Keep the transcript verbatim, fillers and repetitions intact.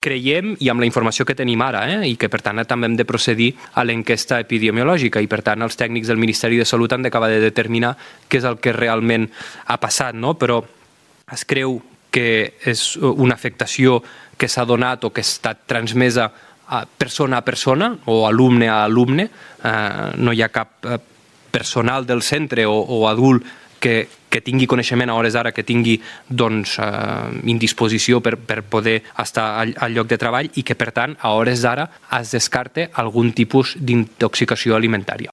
creiem i amb la informació que tenim ara, eh? I que per tant també hem de procedir a l'enquesta epidemiològica i per tant els tècnics del Ministeri de Salut han d'acabar de determinar què és el que realment ha passat, no? Però es creu que és una afectació que s'ha donat o que ha estat transmesa a persona a persona o alumne a alumne. Eh, no hi ha cap personal del centre o, o adult que, que tingui coneixement a hores d'ara, que tingui doncs, eh, indisposició per, per poder estar al, al lloc de treball i que, per tant, a hores d'ara es descarte algun tipus d'intoxicació alimentària.